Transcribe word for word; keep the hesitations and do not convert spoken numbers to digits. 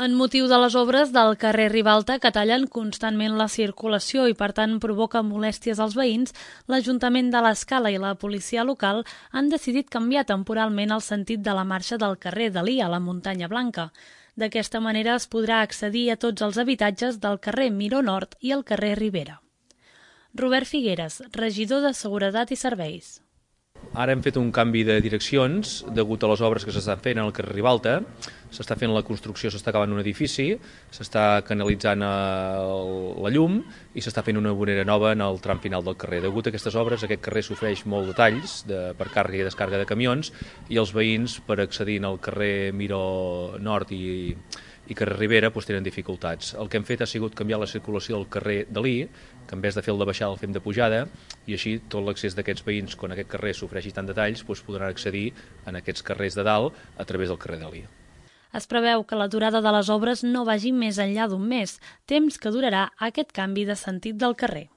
En motiu de les obres del carrer Ribalta, que tallen constantment la circulació i, per tant, provoca molèsties als veïns, l'Ajuntament de l'Escala i la policia local han decidit canviar temporalment el sentit de la marxa del carrer Dalí a la Muntanya Blanca. D'aquesta manera es podrà accedir a tots els habitatges del carrer Miró Nord i el carrer Ribera. Robert Figueres, regidor de Seguretat i Serveis. Ara hem fet un canvi de direccions degut a les obres que s'estan fent al carrer Ribalta. S'està fent la construcció, s'està acabant un edifici, s'està canalitzant la llum i s'està fent una vorera nova en el tram final del carrer. Degut a aquestes obres, aquest carrer sofreix molt de talls de, per càrrega i descàrrega de camions i els veïns, per accedir al carrer Miró Nord i, i carrer Ribera, doncs, tenen dificultats. El que hem fet ha sigut canviar la circulació del carrer Dalí, que en vez de fer el de baixada el fem de pujada, i així tot l'accés d'aquests veïns, quan aquest carrer sofreixi tant de talls, doncs podran accedir en aquests carrers de dalt a través del carrer Dalí. Es preveu que la durada de les obres no vagi més enllà d'un mes, temps que durarà aquest canvi de sentit del carrer.